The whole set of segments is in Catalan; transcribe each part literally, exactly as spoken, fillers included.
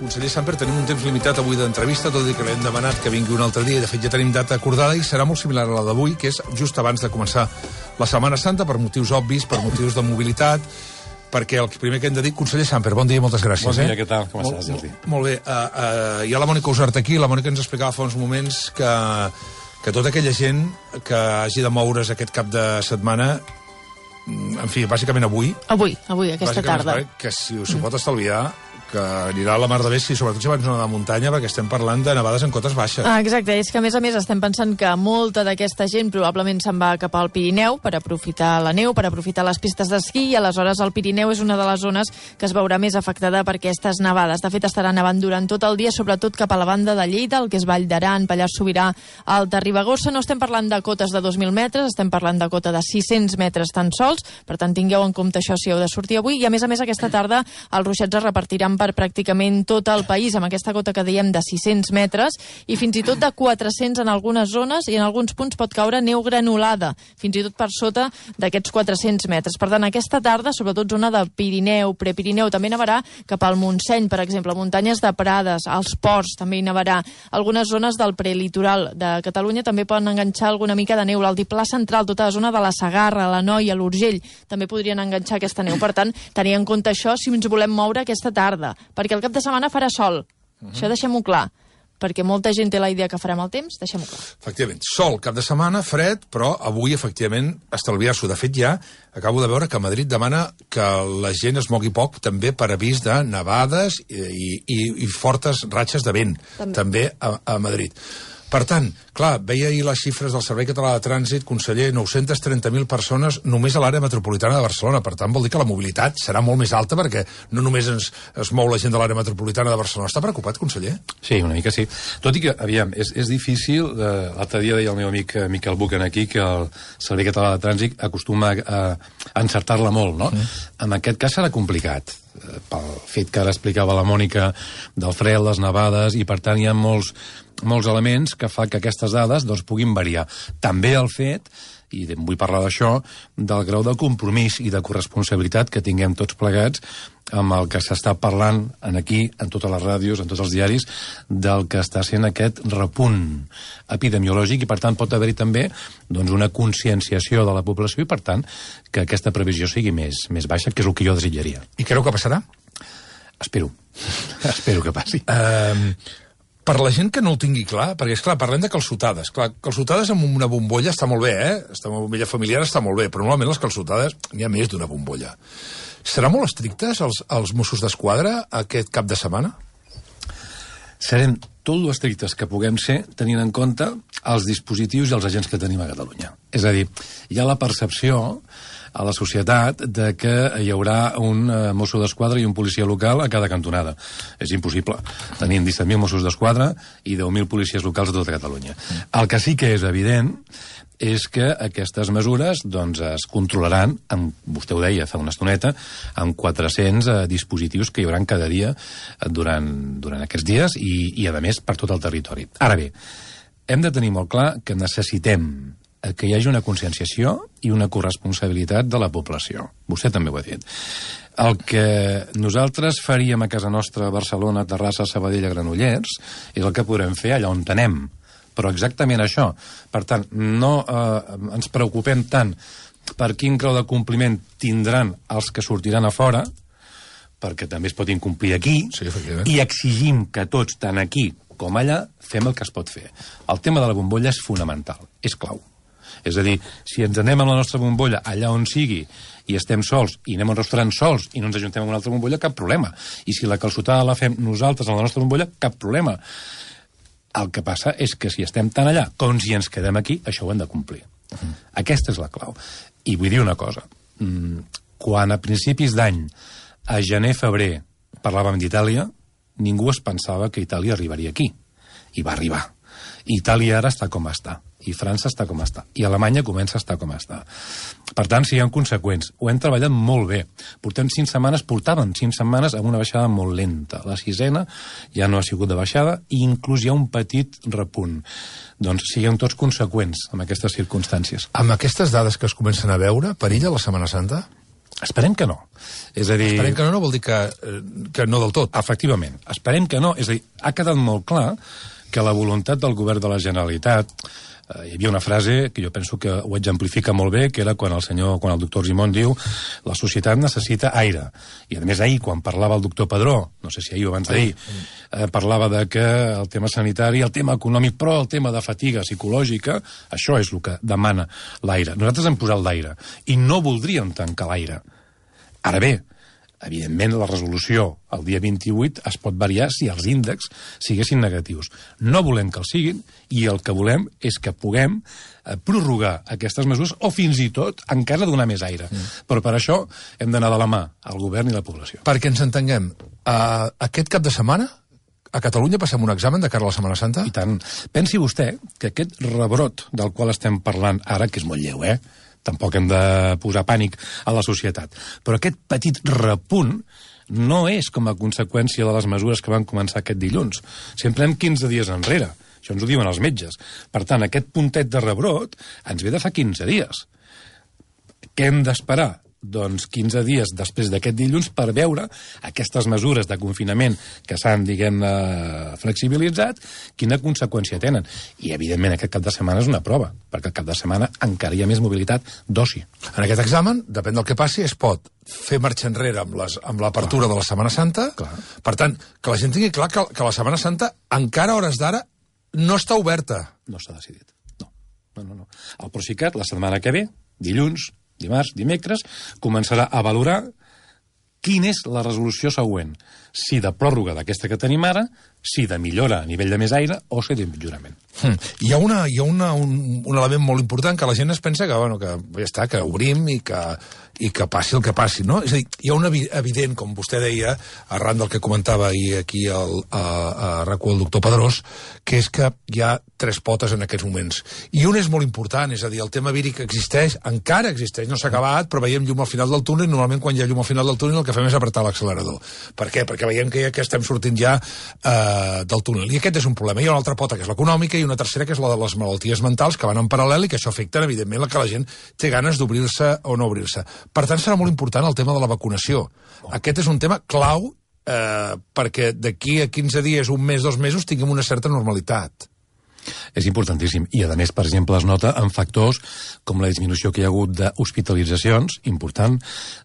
Conseller Samper, tenim un temps limitat avui d'entrevista, tot i que l'hem demanat que vingui un altre dia, i de fet ja tenim data acordada, i serà molt similar a la d'avui, que és just abans de començar la Setmana Santa, per motius obvis, per motius de mobilitat, perquè el primer que hem de dir... Conseller Samper, bon dia i moltes gràcies. Bon dia, eh? què tal? Com estàs, Jordi? Molt, molt bé. Uh, uh, hi ha la Mònica Usart aquí, la Mònica ens explicava fa uns moments que, que tota aquella gent que hagi de moure's aquest cap de setmana, en fi, bàsicament avui... Avui, avui, aquesta tarda. Que si s'ho pot estalviar, que anirà a la mar de bé, si sobretot si abans no de muntanya, perquè estem parlant de nevades en cotes baixes. Ah, exacte, és que a més a més estem pensant que molta d'aquesta gent probablement se'n va cap al Pirineu per aprofitar la neu, per aprofitar les pistes d'esquí, i aleshores el Pirineu és una de les zones que es veurà més afectada per aquestes nevades. De fet, estarà nevant durant tot el dia, sobretot cap a la banda de Lleida, el que és Vall d'Aran, Pallars Sobirà, Alta Ribagorça. No estem parlant de cotes de dos mil metres, estem parlant de cota de sis-cents metres tan sols, per tant tingueu en compte això si heu de sortir avui, i a més a més aquesta tarda els ruixats es repartiran per pràcticament tot el país, amb aquesta cota que dèiem de sis-cents metres, i fins i tot de quatre-cents en algunes zones, i en alguns punts pot caure neu granulada, fins i tot per sota d'aquests quatre-cents metres. Per tant, aquesta tarda, sobretot zona de Pirineu, Prepirineu, també nevarà cap al Montseny, per exemple, muntanyes de Prades, als ports també hi nevarà. Algunes zones del prelitoral de Catalunya també poden enganxar alguna mica de neu. L'altiplà central, tota la zona de la Segarra, la Noia, l'Urgell, també podrien enganxar aquesta neu. Per tant, tenir en compte això si ens volem moure aquesta tarda, perquè el cap de setmana farà sol. Uh-huh. Això deixem-ho clar, perquè molta gent té la idea que farem el temps, deixem-ho clar. Efectivament, sol, cap de setmana, fred, però avui, efectivament, estalviar-s'ho. De fet, ja acabo de veure que Madrid demana que la gent es mogui poc, també per avís de nevades i, i, i fortes ratxes de vent, també, també a, a Madrid. Per tant, clar, veia ahir les xifres del Servei Català de Trànsit, conseller, nou-cents trenta mil persones només a l'àrea metropolitana de Barcelona. Per tant, vol dir que la mobilitat serà molt més alta, perquè no només ens, es mou la gent de l'àrea metropolitana de Barcelona. Està preocupat, conseller? Sí, una mica sí. Tot i que, aviam, és, és difícil, eh, l'altre dia deia el meu amic Miquel Bucan aquí, que el Servei Català de Trànsit acostuma a, a encertar-la molt, no? Mm. En aquest cas serà complicat, pel fet que ara explicava la Mònica del fred, les nevades, i per tant hi ha molts molts elements que fa que aquestes dades doncs, puguin variar. També el fet, i vull parlar d'això, del grau de compromís i de corresponsabilitat que tinguem tots plegats amb el que s'està parlant en aquí, en totes les ràdios, en tots els diaris, del que està sent aquest repunt epidemiològic, i per tant pot haver-hi també doncs, una conscienciació de la població, i per tant que aquesta previsió sigui més, més baixa, que és el que jo desitjaria. I creu que passarà? Espero. Espero que passi. Um... Per la gent que no el tingui clar, perquè, esclar, parlem de calçotades. Clar, calçotades amb una bombolla està molt bé, eh? Està una bombolla familiar està molt bé, però normalment les calçotades n'hi ha més d'una bombolla. Serà molt estrictes els, els Mossos d'Esquadra aquest cap de setmana? Serem tot lo estrictes que puguem ser, tenint en compte els dispositius i els agents que tenim a Catalunya. És a dir, hi ha la percepció a la societat de que hi haurà un uh, Mosso d'Esquadra i un policia local a cada cantonada. És impossible. Tenim disset mil Mossos d'Esquadra i deu mil policies locals a tota Catalunya. El que sí que és evident és que aquestes mesures doncs, es controlaran, amb, vostè ho deia fa una estoneta, amb quatre-cents eh, dispositius que hi haurà cada dia durant, durant aquests dies i, i, a més, per tot el territori. Ara bé, hem de tenir molt clar que necessitem que hi hagi una conscienciació i una corresponsabilitat de la població. Vostè també ho ha dit. El que nosaltres faríem a casa nostra, a Barcelona, Terrassa, Sabadell, a Granollers, és el que podrem fer allà on anem. Però exactament això. Per tant, no eh, ens preocupem tant per quin grau de compliment tindran els que sortiran a fora, perquè també es pot incomplir aquí, sí, i exigim que tots, tant aquí com allà, fem el que es pot fer. El tema de la bombolla és fonamental, és clau. És a dir, si ens anem amb la nostra bombolla allà on sigui i estem sols i anem a un restaurant sols i no ens ajuntem amb una altra bombolla, cap problema. I si la calçotada la fem nosaltres a la nostra bombolla, cap problema. El que passa és que si estem tan allà com si ens quedem aquí, això ho hem de complir. Uh-huh. Aquesta és la clau. I vull dir una cosa. Quan a principis d'any, a gener-febrer, parlàvem d'Itàlia, ningú es pensava que Itàlia arribaria aquí. I va arribar. Itàlia ara està com està, i França està com està, i Alemanya comença a estar com està. Per tant, siguem conseqüents. Ho hem treballat molt bé. Portem cinc setmanes, portàvem cinc setmanes amb una baixada molt lenta. La sisena ja no ha sigut de baixada, i inclús hi ha un petit repunt. Doncs siguem tots conseqüents amb aquestes circumstàncies. Amb aquestes dades que es comencen a veure, perilla la Setmana Santa? Esperem que no. És a dir... Esperem que no, no vol dir que, que no del tot. Efectivament, esperem que no. És a dir, ha quedat molt clar que la voluntat del govern de la Generalitat... Eh, hi havia una frase que jo penso que ho exemplifica molt bé, que era quan el senyor, quan el doctor Argimon diu la societat necessita aire. I a més ahir, quan parlava el doctor Padró, no sé si ahir o abans d'ahir, eh, parlava de que el tema sanitari, el tema econòmic, però el tema de fatiga psicològica, això és el que demana l'aire. Nosaltres hem posat l'aire i no voldríem tancar l'aire. Ara bé, evidentment la resolució el dia vint-i-vuit es pot variar si els índexs siguessin negatius. No volem que els siguin i el que volem és que puguem eh, prorrogar aquestes mesures o fins i tot encara donar més aire. Mm. Però per això hem d'anar de la mà al govern i la població. Perquè ens entenguem, uh, aquest cap de setmana a Catalunya passem un examen de cara a la Setmana Santa? I tant. Pensi vostè que aquest rebrot del qual estem parlant ara, que és molt lleu, eh? Tampoc hem de posar pànic a la societat. Però aquest petit repunt no és com a conseqüència de les mesures que van començar aquest dilluns. Sempre hem quinze dies enrere. Això ens ho diuen els metges. Per tant, aquest puntet de rebrot ens ve de fa quinze dies. Què hem d'esperar? Doncs quinze dies després d'aquest dilluns per veure aquestes mesures de confinament que s'han, diguem-ne, flexibilitzat, quina conseqüència tenen. I, evidentment, aquest cap de setmana és una prova, perquè el cap de setmana encara hi ha més mobilitat d'oci. En aquest examen, depèn del que passi, es pot fer marxa enrere amb les, amb l'apertura de la Setmana Santa. Clar. Per tant, que la gent tingui clar que, que la Setmana Santa, encara a hores d'ara, no està oberta. No s'ha decidit. No. No, no, no. El Procicat, la setmana que ve, dilluns, dimarts, dimecres, començarà a valorar quina és la resolució següent. Si de pròrroga d'aquesta que tenim ara, si de millora a nivell de més aire o si d'empitjorament. Hmm. Hi ha, una, hi ha una, un, un element molt important que la gent es pensa que, bueno, que ja està, que obrim i que, i que passi el que passi, no? És a dir, hi ha un evident, com vostè deia, arran del que comentava ahir aquí el, a, a RAC u el doctor Pedrós, que és que hi ha tres potes en aquests moments. I un és molt important, és a dir, el tema víric existeix, encara existeix, no s'ha acabat, però veiem llum al final del túnel, i normalment quan hi ha llum al final del túnel el que fem és apretar l'accelerador. Per què? Perquè veiem que ja que estem sortint ja eh, del túnel. I aquest és un problema. Hi ha una altra pota, que és l'econòmica, i una tercera, que és la de les malalties mentals, que van en paral·lel i que això afecta, evidentment, la que la gent té ganes d'obrir-se o no obrir-se. Per tant, serà molt important el tema de la vacunació. Aquest és un tema clau eh, perquè d'aquí a quinze dies, un mes, dos mesos, tinguem una certa normalitat. És importantíssim. I, a més, per exemple, es nota en factors com la disminució que hi ha hagut d'hospitalitzacions, important,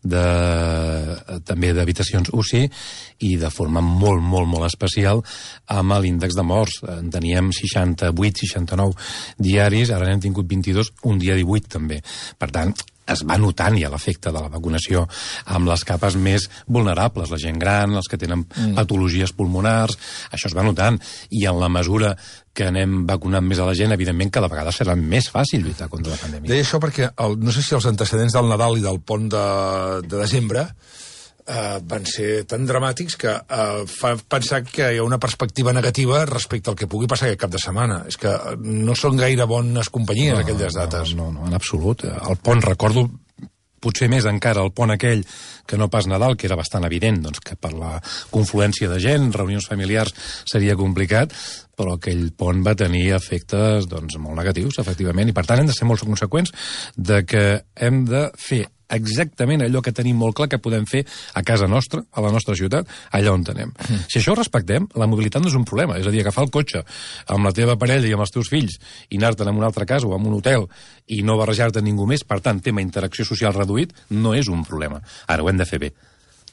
de, també d'habitacions U C I, i de forma molt, molt, molt especial amb l'índex de morts. En teníem seixanta-vuit, seixanta-nou diaris, ara n'hem tingut vint-i-dos, un dia divuit també. Per tant, es va notant ja l'efecte de la vacunació amb les capes més vulnerables, la gent gran, els que tenen mm. patologies pulmonars, això es va notant. I en la mesura que anem vacunant més a la gent, evidentment cada vegada serà més fàcil lluitar contra la pandèmia. Deia això perquè, el, no sé si els antecedents del Nadal i del pont de, de desembre Uh, van ser tan dramàtics que uh, fa pensar que hi ha una perspectiva negativa respecte al que pugui passar aquest cap de setmana. És que no són gaire bones companyies, no, aquelles dates. No, no, no, en absolut. El pont, recordo, potser més encara el pont aquell que no pas Nadal, que era bastant evident, doncs, que per la confluència de gent, reunions familiars, seria complicat, però aquell pont va tenir efectes doncs, molt negatius, efectivament, i per tant hem de ser molt conseqüents de que hem de fer exactament allò que tenim molt clar que podem fer a casa nostra, a la nostra ciutat, allà on tenem. Mm. Si això ho respectem, la mobilitat no és un problema. És a dir, agafar el cotxe amb la teva parella i amb els teus fills i anar-te'n a una altra casa o a un hotel i no barrejar-te ningú més, per tant, tema interacció social reduït, no és un problema. Ara ho hem de fer bé.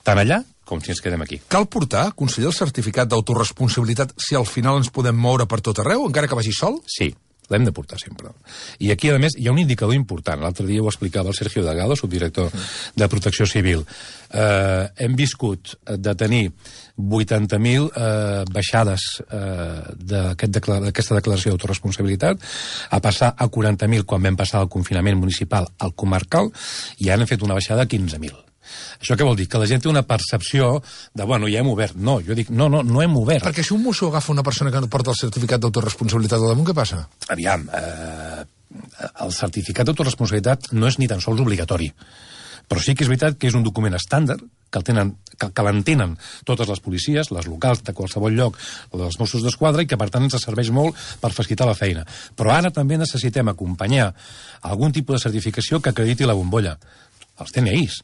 Tant allà com si ens quedem aquí. Cal portar, conseller, el certificat d'autoresponsabilitat si al final ens podem moure per tot arreu, encara que vagi sol? Sí. L'hem de portar sempre. I aquí, a més, hi ha un indicador important. L'altre dia ho explicava el Sergio Delgado, subdirector de Protecció Civil. Eh, hem viscut de tenir vuitanta mil eh, baixades eh, d'aquesta aquest declaració d'autoresponsabilitat a passar a quaranta mil quan vam passar el confinament municipal al comarcal, i ara hem fet una baixada a quinze mil. Això què vol dir? Que la gent té una percepció de, bueno, ja hem obert. No, jo dic, no, no, no hem obert. Perquè si un mosso agafa una persona que no porta el certificat d'autoresponsabilitat al damunt, què passa? Aviam, eh, el certificat d'autoresponsabilitat no és ni tan sols obligatori. Però sí que és veritat que és un document estàndard, que el tenen, que, que l'entenen totes les policies, les locals de qualsevol lloc, o dels Mossos d'Esquadra, i que per tant ens serveix molt per facilitar la feina. Però ara també necessitem acompanyar algun tipus de certificació que acrediti la bombolla. Els D N Is.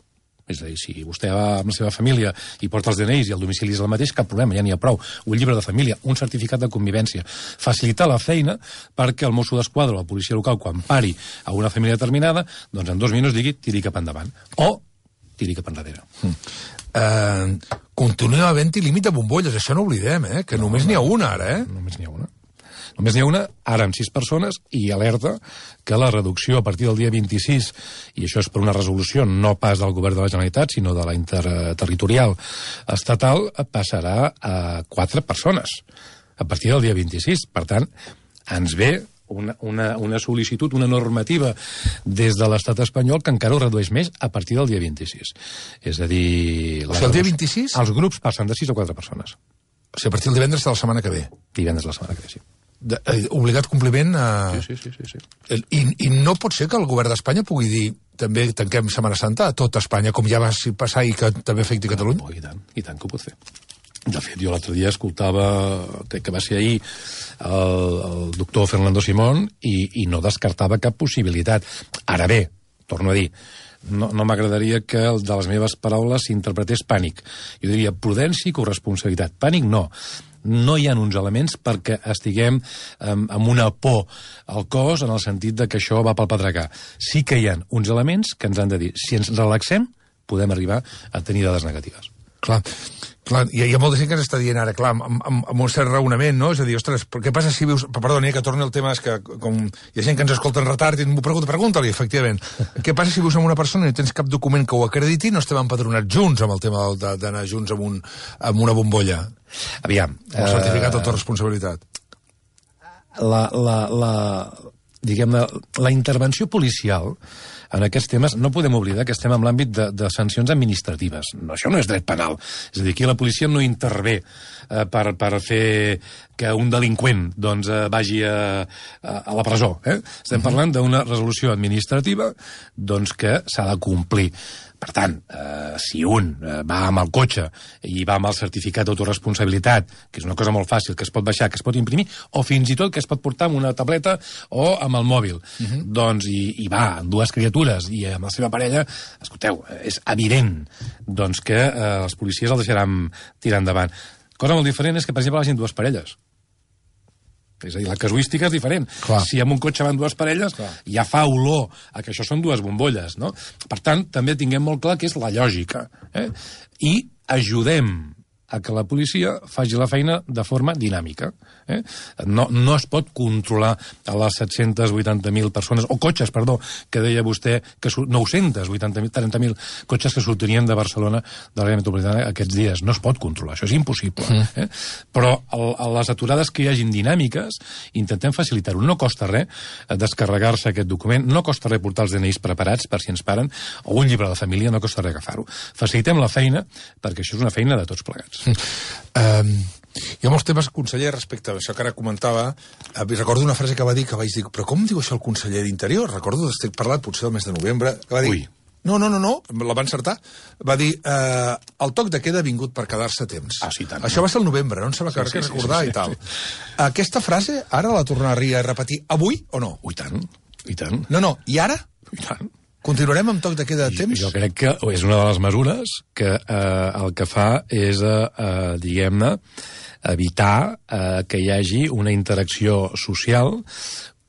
És a dir, si vostè va amb la seva família i porta els D N Is i el domicili és el mateix, cap problema, ja n'hi ha prou. Un llibre de família, un certificat de convivència. Facilitar la feina perquè el Mosso d'Esquadra o la policia local, quan pari a una família determinada, doncs en dos minuts digui tiri cap endavant. O tiri cap enrere. Mm. Uh, continua havent-hi límit de bombolles, això no oblidem, eh? Que no, només n'hi ha una ara, eh? Només n'hi ha una. Només n'hi ha una, ara amb sis persones, i alerta que la reducció a partir del dia vint-i-sis, i això és per una resolució no pas del govern de la Generalitat, sinó de la interterritorial estatal, passarà a quatre persones a partir del dia vint-i-sis. Per tant, ens ve una, una, una sol·licitud, una normativa des de l'estat espanyol que encara ho redueix més a partir del dia vint-i-sis. És a dir... O sigui, el dia vint-i-sis? Els grups passen de sis a quatre persones. O sigui, a partir del divendres de la setmana que ve. Divendres de la setmana que ve, sí. De, eh, obligat compliment a... Sí, sí, sí, sí, sí. I, I no pot ser que el govern d'Espanya pugui dir també tanquem Setmana Santa a tot Espanya, com ja va passar i que també afecti Catalunya? Oh, i tant, i tant que ho pot fer. De fet, jo l'altre dia escoltava, crec que va ser ahir, el, el doctor Fernando Simón i, i no descartava cap possibilitat. Ara bé, torno a dir, no, no m'agradaria que de les meves paraules s'interpretés pànic. Jo diria prudència i corresponsabilitat. Pànic no. No hi ha uns elements perquè estiguem um, amb una por al cos en el sentit de que això va pel pedregar. Sí que hi ha uns elements que ens han de dir si ens relaxem, podem arribar a tenir dades negatives. Clar, clar, hi ha, hi ha molta gent que ens està dient ara, clar, amb, amb, amb un cert raonament, no? És a dir, ostres, què passa si vius... Perdoni, que torni el tema, és que com hi ha gent que ens escolta en retard i m'ho pregunta, pregunta-li, efectivament. Què passa si vius amb una persona i no tens cap document que ho acrediti i no estem empadronats junts amb el tema d'anar junts amb, un, amb una bombolla? Aviam. Amb el certificat d'autoresponsabilitat. La, la, la, diguem-ne, la intervenció policial en aquests temes no podem oblidar que estem en l'àmbit de, de sancions administratives. No, això no és dret penal. És a dir, aquí la policia no intervé eh, per, per fer que un delinqüent doncs, eh, vagi a, a, a la presó. Eh? Estem parlant d'una resolució administrativa doncs, que s'ha de complir. Per tant, eh, si un eh, va amb el cotxe i va amb el certificat d'autoresponsabilitat, que és una cosa molt fàcil, que es pot baixar, que es pot imprimir, o fins i tot que es pot portar amb una tableta o amb el mòbil, uh-huh. doncs, i, i va amb dues criatures i amb la seva parella, escolteu, és evident doncs, que eh, els policies el deixaran tirar endavant. Cosa molt diferent és que, per exemple, vagin dues parelles. És a dir, la casuística és diferent. Clar. Si amb un cotxe van dues parelles, clar, ja fa olor a que això són dues bombolles, no? Per tant, també tinguem molt clar que és la lògica. Eh? I ajudem a que la policia faci la feina de forma dinàmica. Eh? No, no es pot controlar a les set-cents vuitanta mil persones, o cotxes, perdó, que deia vostè, que nou-cents vuitanta mil, trenta mil cotxes que sortirien de Barcelona, de l'àrea metropolitana, aquests dies. No es pot controlar, això és impossible. Mm. Eh? Però el, a les aturades que hi hagin dinàmiques, intentem facilitar-ho. No costa res descarregar-se aquest document, no costa res portar els D N Is preparats per si ens paren, o un llibre de família, no costa res agafar-ho. Facilitem la feina, perquè això és una feina de tots plegats. Um, hi ha molts temes, conseller, respecte a això que ara comentava. Uh, recordo una frase que va dir, que vaig dir, però com diu això el conseller d'Interior? Recordo, estic parlat potser del mes de novembre, que va dir... Ui. No, no, no, no, la va encertar. Va dir, eh, el toc de queda ha vingut per quedar-se temps. Ah, sí, tant. Això va ser el novembre, no em sembla que sí, sí, sí, recordar sí, sí, i tal. sí. Aquesta frase ara la tornaria a repetir avui o no? Ui, tant, i tant. No, no, i ara? I tant. Continuarem amb toc de queda de temps? Jo, jo crec que és una de les mesures que eh, el que fa és, eh, eh, diguem-ne, evitar eh, que hi hagi una interacció social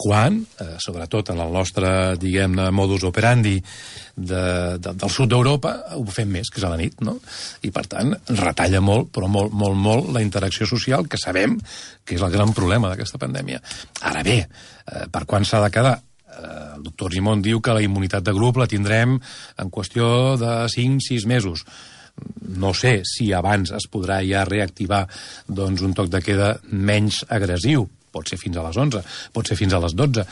quan, eh, sobretot en el nostre, diguem-ne, modus operandi de, de, del sud d'Europa, ho fem més, que és a la nit, no? I, per tant, retalla molt, però molt, molt, molt, la interacció social, que sabem que és el gran problema d'aquesta pandèmia. Ara bé, eh, per quan s'ha de quedar? El doctor Simón diu que la immunitat de grup la tindrem en qüestió de cinc sis mesos. No sé si abans es podrà ja reactivar doncs, un toc de queda menys agressiu. Pot ser fins a les onze, pot ser fins a les dotze,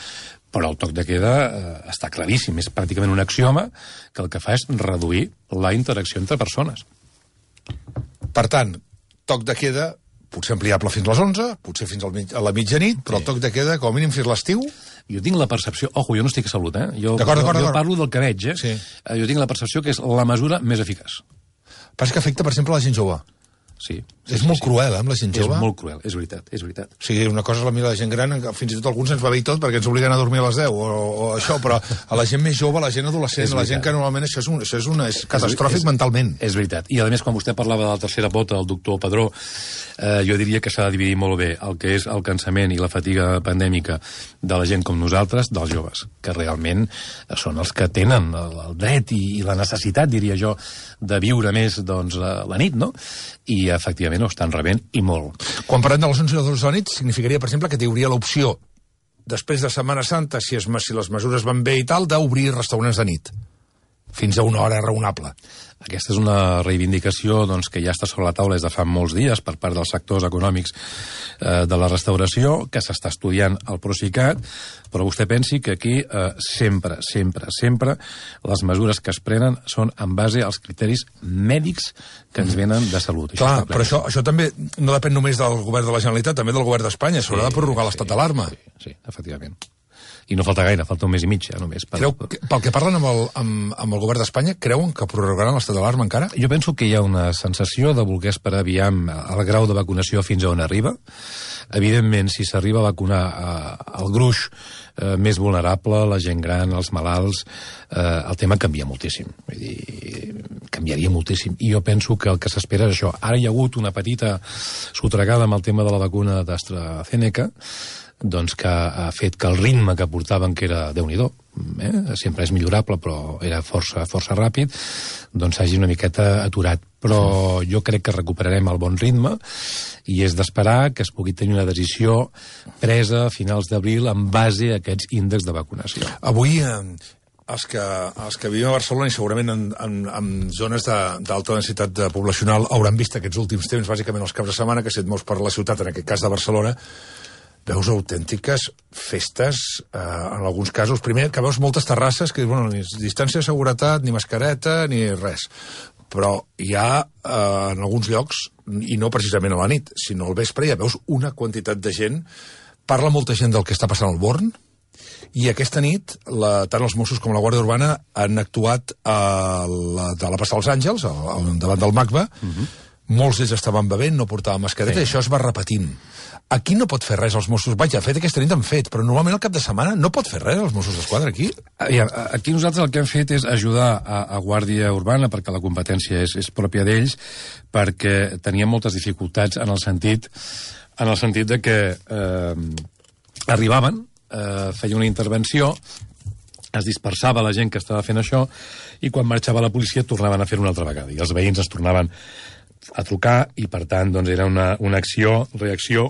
però el toc de queda eh, està claríssim. És pràcticament un axioma que el que fa és reduir la interacció entre persones. Per tant, toc de queda potser ampliable fins a les onze, potser fins al mig, a la mitjanit, però sí. El toc de queda, com a mínim, fins l'estiu... Jo tinc la percepció... Ojo, jo no estic a Salut, eh? Jo, d'acord, d'acord, jo, jo d'acord. parlo del que veig, eh? Sí. Jo tinc la percepció que és la mesura més eficaç. Passa que afecta, per exemple, la gent jove. sí. És molt cruel, eh, amb la gent jove. És molt cruel, és veritat, és veritat. O sigui, una cosa és la mira la gent gran, fins i tot alguns ens va bé i tot perquè ens obliguen a dormir a les deu o, o això, però a la gent més jove, a la gent adolescent, a la gent que normalment això és, un, això és, una, és catastròfic és, mentalment. És veritat. I a més, quan vostè parlava de la tercera pota, el doctor Padró, eh, jo diria que s'ha de dividir molt bé el que és el cansament i la fatiga pandèmica de la gent com nosaltres, dels joves, que realment són els que tenen el, el dret i, i la necessitat, diria jo, de viure més doncs, la, la nit, no? I efectivament ho estan rebent i molt. Quan parlem de les onze i les dotze de la nit, significaria, per exemple, que hi hauria l'opció, després de Setmana Santa, si, es, si les mesures van bé i tal, d'obrir restaurants de nit, fins a una hora raonable. Aquesta és una reivindicació doncs, que ja està sobre la taula des de fa molts dies per part dels sectors econòmics eh, de la restauració, que s'està estudiant al Procicat, però vostè pensi que aquí eh, sempre, sempre, sempre les mesures que es prenen són en base als criteris mèdics que ens venen de salut. Això Clar, però això, això també no depèn només del govern de la Generalitat, també del govern d'Espanya. S'haurà sí, de prorrogar sí, l'estat d'alarma. Sí, sí, efectivament. I no falta gaire, falta un mes i mig, ja, només. Per... Creu, que, pel que parlen amb el, amb, amb el govern d'Espanya, creuen que prorrogaran l'estat d'alarma encara? Jo penso que hi ha una sensació de voler esperar aviam el grau de vacunació fins a on arriba. Evidentment, si s'arriba a vacunar eh, el gruix eh, més vulnerable, la gent gran, els malalts, eh, el tema canvia moltíssim. Vull dir, canviaria moltíssim. I jo penso que el que s'espera és això. Ara hi ha hagut una petita sotregada amb el tema de la vacuna d'AstraZeneca, doncs que ha fet que el ritme que portaven, que era Déu-n'hi-do, eh? sempre és millorable, però era força, força ràpid, doncs s'hagi una miqueta aturat. Però jo crec que recuperarem el bon ritme i és d'esperar que es pugui tenir una decisió presa a finals d'abril en base a aquests índexs de vacunació. Avui... Eh... Els que, els que vivim a Barcelona i segurament en, en, en zones d'alta densitat de poblacional hauran vist aquests últims temps, bàsicament els caps de setmana, que si et mous per la ciutat, en aquest cas de Barcelona, veus autèntiques festes, eh, en alguns casos. Primer, que veus moltes terrasses que, bueno, ni distància de seguretat, ni mascareta, ni res. Però hi ha, eh, en alguns llocs, i no precisament a la nit, sinó al vespre, ja veus una quantitat de gent. Parla molta gent del que està passant al Born, i aquesta nit, la, tant els Mossos com la Guàrdia Urbana han actuat a la, de la Plaça dels Àngels, a, a, davant del MACBA. Uh-huh. Molts d'ells estaven bevent, no portaven mascareta, sí. I això es va repetint. Aquí no pot fer res els Mossos. Vaja, fet aquesta nit han fet, però normalment al cap de setmana no pot fer res els Mossos d'Esquadra aquí. Aquí nosaltres el que hem fet és ajudar a, a Guàrdia Urbana, perquè la competència és, és pròpia d'ells, perquè teníem moltes dificultats en el sentit, en el sentit de que eh, arribaven, eh, feia una intervenció, es dispersava la gent que estava fent això, i quan marxava la policia tornaven a fer una altra vegada, i els veïns es tornaven a trucar, i per tant doncs, era una, una acció, reacció,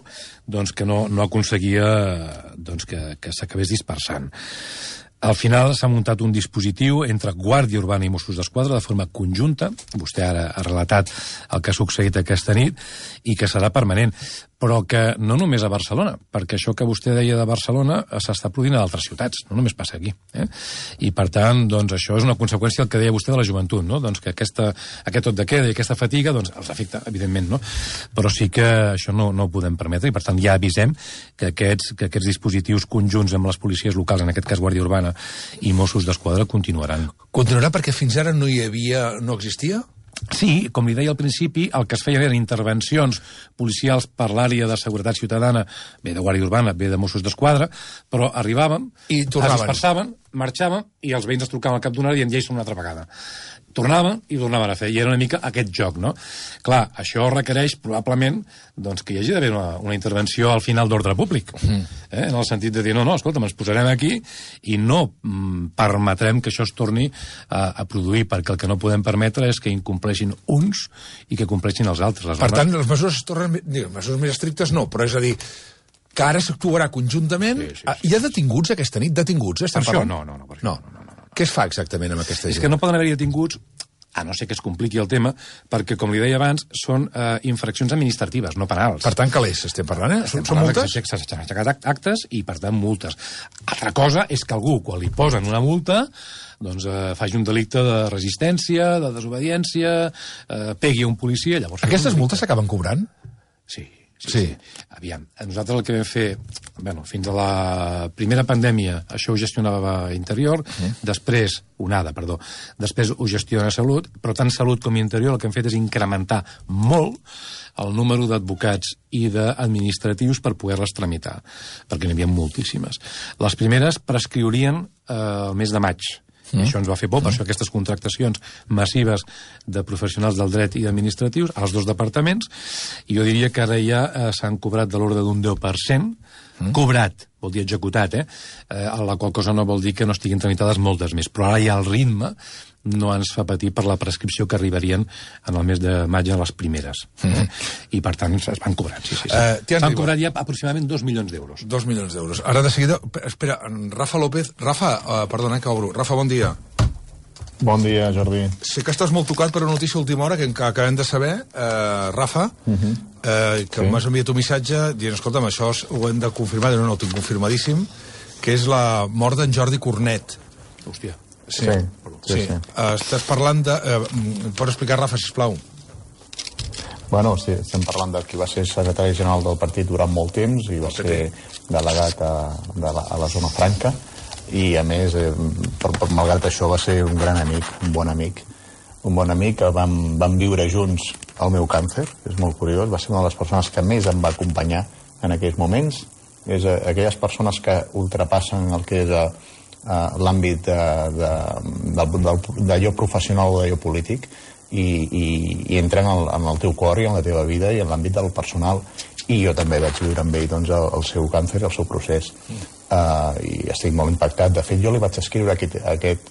doncs, que no, no aconseguia doncs, que, que s'acabés dispersant. Al final s'ha muntat un dispositiu entre Guàrdia Urbana i Mossos d'Esquadra de forma conjunta, vostè ara ha relatat el que ha succeït aquesta nit, i que serà permanent, però que no només a Barcelona, perquè això que vostè deia de Barcelona s'està produint a altres ciutats, no només passa aquí. Eh? I per tant, doncs, això és una conseqüència del que deia vostè de la joventut, no? Doncs que aquesta, aquest tot de queda i aquesta fatiga doncs, els afecta, evidentment, no? Però sí que això no, no ho podem permetre, i per tant ja avisem que aquests, que aquests dispositius conjunts amb les policies locals, en aquest cas Guàrdia Urbana i Mossos d'Esquadra, continuaran. Continuarà perquè fins ara no hi havia, no existia? Sí, com li deia al principi, el que es feien eren intervencions policials per l'àrea de seguretat ciutadana, bé de Guàrdia Urbana, bé de Mossos d'Esquadra, però arribaven, I tornaven. Es dispersaven, marxaven, i els veïns es trucaven al cap d'una hora i en lleis una altra vegada. Tornaven i tornaven a fer, i era una mica aquest joc, no? Clar, això requereix probablement doncs, que hi hagi d'haver una, una intervenció al final d'ordre públic, mm. eh? En el sentit de dir, no, no, escolta, ens posarem aquí i no mm, permetrem que això es torni a, a produir, perquè el que no podem permetre és que incompleixin uns i que compleixin els altres. Les per tant, les mesures es tornen, diguem, mesures més estrictes no, però és a dir, que ara s'actuarà conjuntament. Sí, sí, sí. Hi ha detinguts aquesta nit? Detinguts, eh? Per això? No, no, no, per això no, no, no. Què es fa exactament amb aquesta gent? És que no poden haver detinguts, a no ser que es compliqui el tema, perquè, com li deia abans, són eh, infraccions administratives, no penals. Per tant, calés, estem parlant, eh? Estem són multes? S'han aixecat actes i, per tant, multes. Altra cosa és que algú, quan li posen una multa, doncs eh, faci un delicte de resistència, de desobediència, eh, pegui a un policia, llavors... Aquestes multes s'acaben cobrant? Sí. Sí, sí. Aviam, nosaltres el que vam fer, bueno, fins a la primera pandèmia, això ho gestionava Interior, mm. després, onada, perdó, després ho gestiona Salut, però tant Salut com Interior el que hem fet és incrementar molt el número d'advocats i d'administratius per poder-les tramitar, perquè n'hi havia moltíssimes. Les primeres prescriurien eh, el mes de maig. Mm. Això ens va fer por, per mm. això aquestes contractacions massives de professionals del dret i administratius als dos departaments, i jo diria que ara ja eh, s'han cobrat de l'ordre d'un deu per cent, mm. cobrat, vol dir executat, eh? eh? La qual cosa no vol dir que no estiguin tramitades moltes més, però ara ja el ritme no ens fa patir per la prescripció que arribarien en el mes de maig a les primeres. Mm. I, per tant, es van cobrant, sí, sí. sí. Uh, S'han cobrat ja aproximadament dos milions d'euros. Dos milions d'euros. Ara, de seguida... Espera, Rafa López... Rafa, uh, perdona, que obro. Rafa, bon dia. Bon dia, Jordi. Sé que estàs molt tocat per una notícia última hora que acabem de saber, uh, Rafa, uh -huh. uh, que sí. m'has enviat un missatge dient, escolta'm, això ho hem de confirmar, no, no, ho tinc confirmadíssim, que és la mort d'en Jordi Cornet. Hòstia. Sí, sí. sí, sí. sí. Uh, estàs parlant de... Uh, pots explicar, Rafa, sisplau? Bueno, sí, estem parlant de qui va ser secretari general del partit durant molt temps i va ser delegat a, de la, a la zona franca, i a més, eh, per, per, malgrat això, va ser un gran amic, un bon amic, un bon amic que vam, vam viure junts el meu càncer, és molt curiós, va ser una de les persones que més em va acompanyar en aquells moments, és a, aquelles persones que ultrapassen el que és a, a l'àmbit d'allò professional o d'allò polític i, i, i entren en el, en el teu cor i en la teva vida i en l'àmbit del personal, i jo també vaig viure amb ell doncs, el, el seu càncer, el seu procés. Uh, i estic molt impactat. De fet, jo li vaig escriure aquest, aquest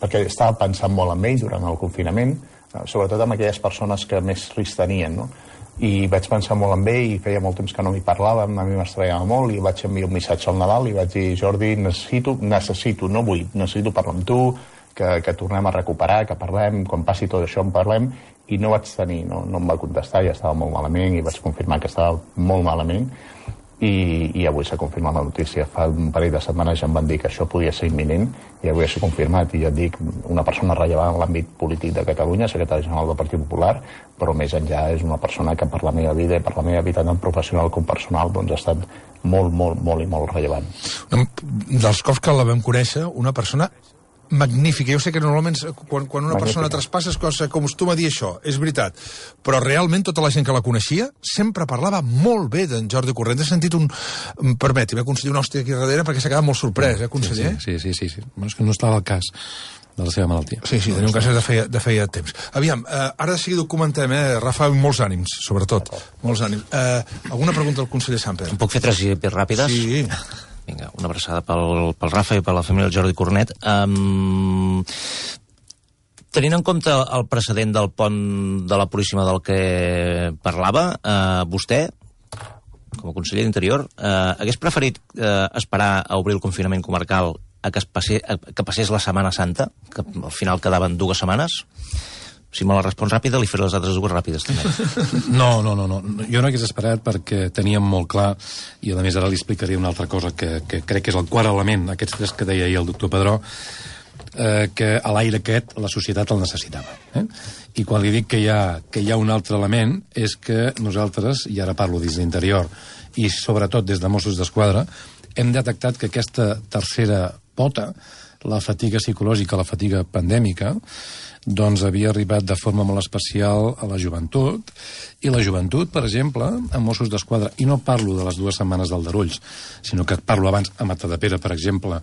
perquè estava pensant molt en ell durant el confinament, uh, sobretot amb aquelles persones que més risc tenien, no? I vaig pensar molt en ell i feia molt temps que no m'hi parlàvem, a mi m'estranyava molt, i vaig enviar un missatge al Nadal i vaig dir, Jordi, necessito, necessito, no vull, necessito parlar amb tu, que, que tornem a recuperar, que parlem, quan passi tot això en parlem, i no vaig tenir, no, no em va contestar, ja estava molt malament i vaig confirmar que estava molt malament. I, i avui s'ha confirmat la notícia. Fa un parell de setmanes ja em van dir que això podia ser imminent i avui s'ha confirmat, i ja et dic, una persona rellevant en l'àmbit polític de Catalunya, secretari general del Partit Popular, però més enllà és una persona que per la meva vida i per la meva vida tant professional com personal doncs ha estat molt, molt, molt i molt rellevant. Dels cops que la vam conèixer, una persona magnífica. Jo sé que normalment quan, quan una Magnífica. persona traspassa es acostuma a dir això, és veritat, però realment tota la gent que la coneixia sempre parlava molt bé d'en Jordi Cornet. He sentit un... Permeti'm, conseller, una hòstia aquí darrere perquè s'ha quedat molt sorprès, eh, conseller? Sí, sí, sí, sí, sí. Bueno, és que no estava al cas de la seva malaltia. Sí, sí, tenia un cas de feia, de feia temps. Aviam, eh, ara de seguida ho comentem, eh, Rafa, molts ànims, sobretot. Molts ànims. Eh, alguna pregunta al conseller Samper? Em puc fer tres ràpides? Sí. Vinga, una abraçada pel, pel Rafa i per la família del Jordi Cornet. Um, tenint en compte el precedent del pont de la Puríssima del que parlava, uh, vostè, com a conseller d'Interior, uh, hagués preferit uh, esperar a obrir el confinament comarcal a que, es passe, a que passés la Setmana Santa, que al final quedaven dues setmanes? Si me la respons ràpida, li faré les altres dues ràpides, també. No, no, no, no. Jo no hagués esperat perquè teníem molt clar, i a més ara li explicaré una altra cosa que, que crec que és el quart element, aquests tres que deia ahir el doctor Pedró, eh, que a l'aire aquest la societat el necessitava. Eh? I quan li dic que hi, ha, que hi ha un altre element és que nosaltres, i ara parlo des d'Interior, i sobretot des de Mossos d'Esquadra, hem detectat que aquesta tercera pota, la fatiga psicològica, la fatiga pandèmica, doncs havia arribat de forma molt especial a la joventut, i la joventut, per exemple, a Mossos d'Esquadra, i no parlo de les dues setmanes d'Aldarulls, sinó que parlo abans a Matadepera, per exemple,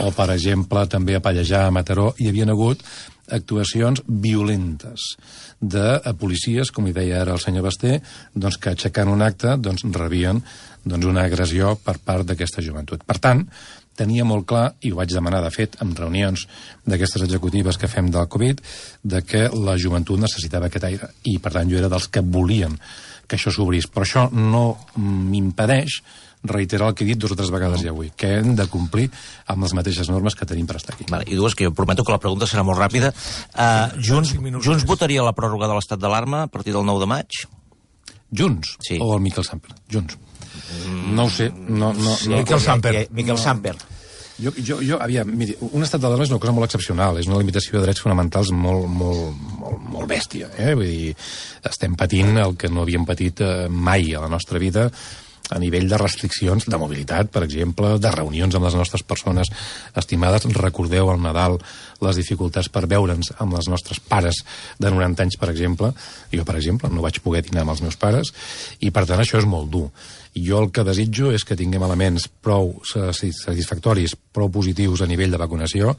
o, per exemple, també a Pallejà, a Mataró, hi havia hagut actuacions violentes de policies, com hi deia ara el senyor Basté, doncs que aixecant un acte doncs, rebien doncs, una agressió per part d'aquesta joventut. Per tant, tenia molt clar, i ho vaig demanar, de fet, en reunions d'aquestes executives que fem del Covid, de que la joventut necessitava aquest aire. I, per tant, jo era dels que volien que això s'obrís. Però això no m'impedeix reiterar el que he dit dues o tres vegades ja avui, que hem de complir amb les mateixes normes que tenim per estar aquí. Vale, i dues, que jo prometo que la pregunta serà molt ràpida. Uh, Junts, Junts votaria la pròrroga de l'estat d'alarma a partir del nou de maig? Junts? Sí. O el Miquel Samper? Junts. Mm. No ho sé. No, no, sí, no. Miquel Samper. Miquel Samper. Jo, jo, jo, aviam, miri, un estat d'alarma és una cosa molt excepcional, és una limitació de drets fonamentals molt, molt, molt, molt molt bèstia. Eh? Vull dir, estem patint el que no havíem patit eh, mai a la nostra vida, a nivell de restriccions de mobilitat, per exemple, de reunions amb les nostres persones estimades. Recordeu al Nadal les dificultats per veure'ns amb els nostres pares de noranta anys, per exemple. Jo, per exemple, no vaig poder dinar amb els meus pares, i per tant això és molt dur. Jo el que desitjo és que tinguem elements prou satisfactoris, prou positius a nivell de vacunació,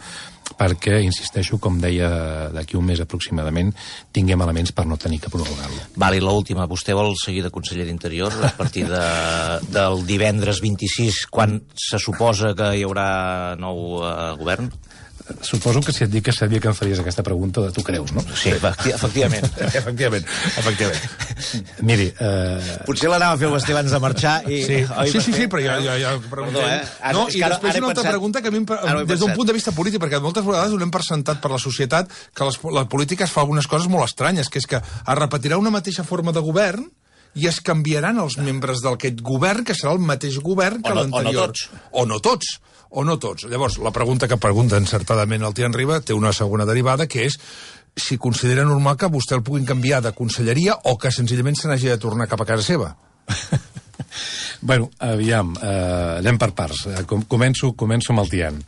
perquè, insisteixo, com deia d'aquí un mes aproximadament, tinguem elements per no tenir que prorrogar-lo. Vale, i l'última. Vostè vol seguir de conseller d'Interior a partir de, del divendres vint-i-sis, quan se suposa que hi haurà nou eh, govern? Suposo que si et dic que sabia que em faries aquesta pregunta, tu creus, no? Sí, efectivament. efectivament, efectivament. Miri... Eh... Potser l'anava a fer el Basté abans de marxar i... Sí, Oi, sí, sí, sí, però ja... ja, ja Perdó, eh? Ara, no, i ara, després ara una altra pensat... pregunta que a mi, des d'un punt de vista polític, perquè moltes vegades donem per sentat per la societat que les, la política es fa algunes coses molt estranyes, que és que es repetirà una mateixa forma de govern i es canviaran els membres d'aquest govern, que serà el mateix govern que l'anterior. O no tots. O no tots. O no tots. Llavors, la pregunta que pregunta encertadament el Tian Riba té una segona derivada, que és si considera normal que vostè el puguin canviar de conselleria o que senzillament se n'hagi de tornar cap a casa seva. Bueno, aviam, eh, anem per parts. Com, començo, començo amb el Tian.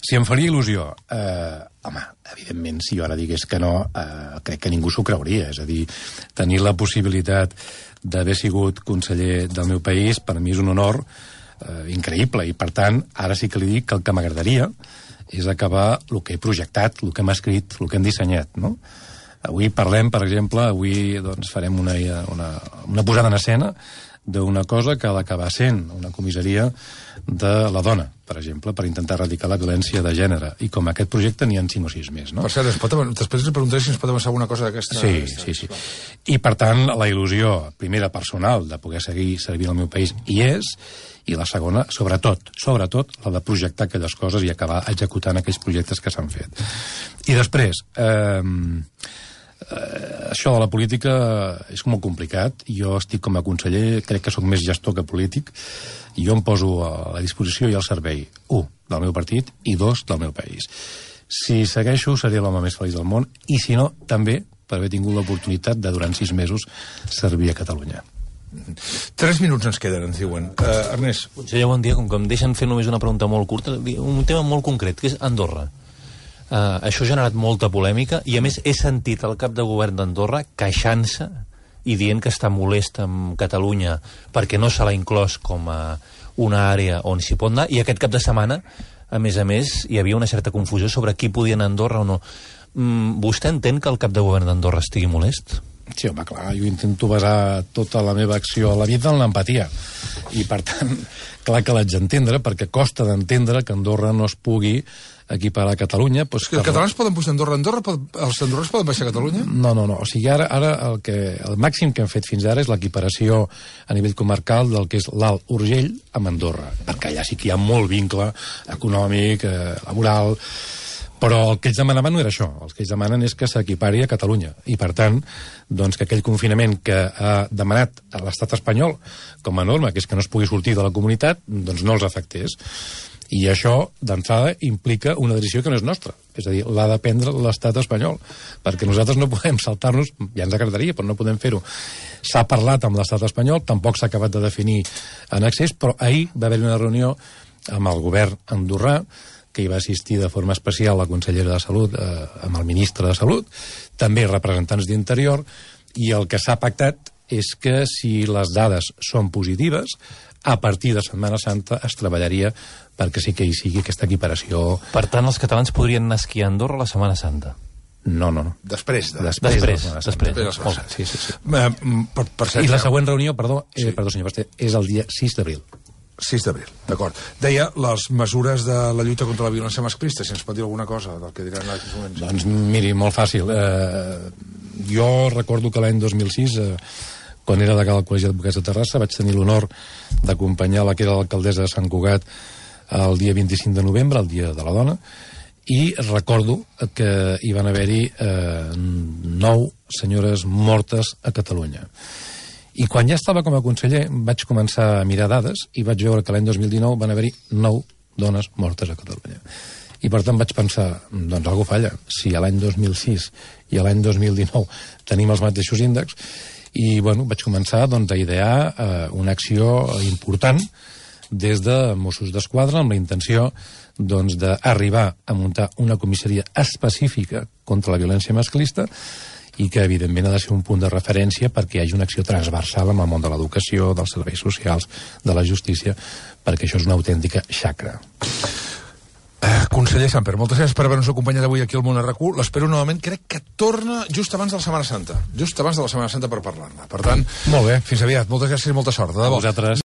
Si em faria il·lusió, eh, home, evidentment, si jo ara digués que no, eh, crec que ningú s'ho creuria. És a dir, tenir la possibilitat d'haver sigut conseller del meu país, per mi és un honor eh, increïble, i per tant, ara sí que li dic que el que m'agradaria és acabar el que he projectat, el que hem escrit, el que hem dissenyat, no? Avui parlem, per exemple, avui doncs, farem una, una, una posada en escena d'una cosa que ha d'acabar sent una comissaria de la dona, per exemple, per intentar erradicar la violència de gènere. I com aquest projecte n'hi ha cinc o sis més, no? Per cert, es pot, després li preguntaré si ens pot avançar alguna cosa d'aquesta... Sí, sí, sí. I, per tant, la il·lusió, primera, personal, de poder seguir servint al meu país, hi és, i la segona, sobretot, sobretot, la de projectar aquelles coses i acabar executant aquells projectes que s'han fet. I després, eh, eh, això de la política és molt complicat. Jo estic com a conseller, crec que sóc més gestor que polític, i jo em poso a la disposició i al servei, u, del meu partit, i dos, del meu país. Si segueixo, seré l'home més feliç del món, i si no, també per haver tingut l'oportunitat de, durant sis mesos, servir a Catalunya. Tres minuts ens queden, ens diuen. Uh, Ernest. Conseller, bon dia. Com que em deixen fer només una pregunta molt curta, un tema molt concret, que és Andorra. Uh, això ha generat molta polèmica, i a més he sentit el cap de govern d'Andorra queixant-se i dient que està molest amb Catalunya perquè no se l'ha inclòs com a una àrea on s'hi pot anar, i aquest cap de setmana, a més a més, hi havia una certa confusió sobre qui podia anar a Andorra o no. Mm, vostè entén que el cap de govern d'Andorra estigui molest? Sí, home, clar, jo intento basar tota la meva acció a la vida en l'empatia, i per tant, clar que l'haig d'entendre, perquè costa d'entendre que Andorra no es pugui equiparar a Catalunya. Pues, que els catalans poden pujar a Andorra, Andorra pot, els andorrans poden baixar a Catalunya? No, no, no, o sigui, ara, ara el, que, el màxim que hem fet fins ara és l'equiparació a nivell comarcal del que és l'Alt Urgell amb Andorra, perquè allà sí que hi ha molt vincle econòmic, eh, laboral, però el que ells demanaven no era això. El que ells demanen és que s'equipari a Catalunya, i per tant, doncs, que aquell confinament que ha demanat a l'estat espanyol com a norma, que és que no es pugui sortir de la comunitat, doncs no els afectés. I això, d'entrada, implica una decisió que no és nostra. És a dir, l'ha de prendre l'estat espanyol, perquè nosaltres no podem saltar-nos, ja ens agradaria, però no podem fer-ho. S'ha parlat amb l'estat espanyol, tampoc s'ha acabat de definir en accés, però ahir va haver una reunió amb el govern andorrà, que hi va assistir de forma especial la consellera de Salut, eh, amb el ministre de Salut, també representants d'Interior, i el que s'ha pactat és que si les dades són positives, a partir de Setmana Santa es treballaria perquè sí que hi sigui aquesta equiparació. Per tant, els catalans podrien anar a esquiar a Andorra a la Setmana Santa? No, no, no. Després. De... Després, després. de després. després. Sí, sí, sí. Uh, per, per I la següent reunió, perdó, sí. eh, perdó senyor Basté, és el dia sis d'abril. sis d'abril, d'acord. Deia les mesures de la lluita contra la violència masclista, si ens pot dir alguna cosa del que diran en aquests moments. Doncs miri, molt fàcil. Eh, jo recordo que l'any dos mil sis, eh, quan era delegada al Col·legi d'Advocats de Terrassa, vaig tenir l'honor d'acompanyar la que era l'alcaldessa de Sant Cugat el dia vint-i-cinc de novembre, el dia de la dona, i recordo que hi van haver-hi eh, nou senyores mortes a Catalunya. I quan ja estava com a conseller vaig començar a mirar dades i vaig veure que l'any dos mil dinou van haver-hi nou dones mortes a Catalunya. I per tant vaig pensar, doncs algú falla. Si a l'any dos mil sis i a l'any dos mil dinou tenim els mateixos índexs, i bueno, vaig començar doncs, a idear eh, una acció important des de Mossos d'Esquadra amb la intenció doncs, d'arribar a muntar una comissaria específica contra la violència masclista i que, evidentment, ha de ser un punt de referència perquè hi hagi una acció transversal amb el món de l'educació, dels serveis socials, de la justícia, perquè això és una autèntica xacra. Eh, conseller Samper, moltes gràcies per haver-nos acompanyat avui aquí al Món R Q. L'espero novament, crec que torna just abans de la Setmana Santa. Just abans de la Setmana Santa per parlar-ne. Per tant, molt bé, fins aviat. Moltes gràcies i molta sort. De debò. A vosaltres.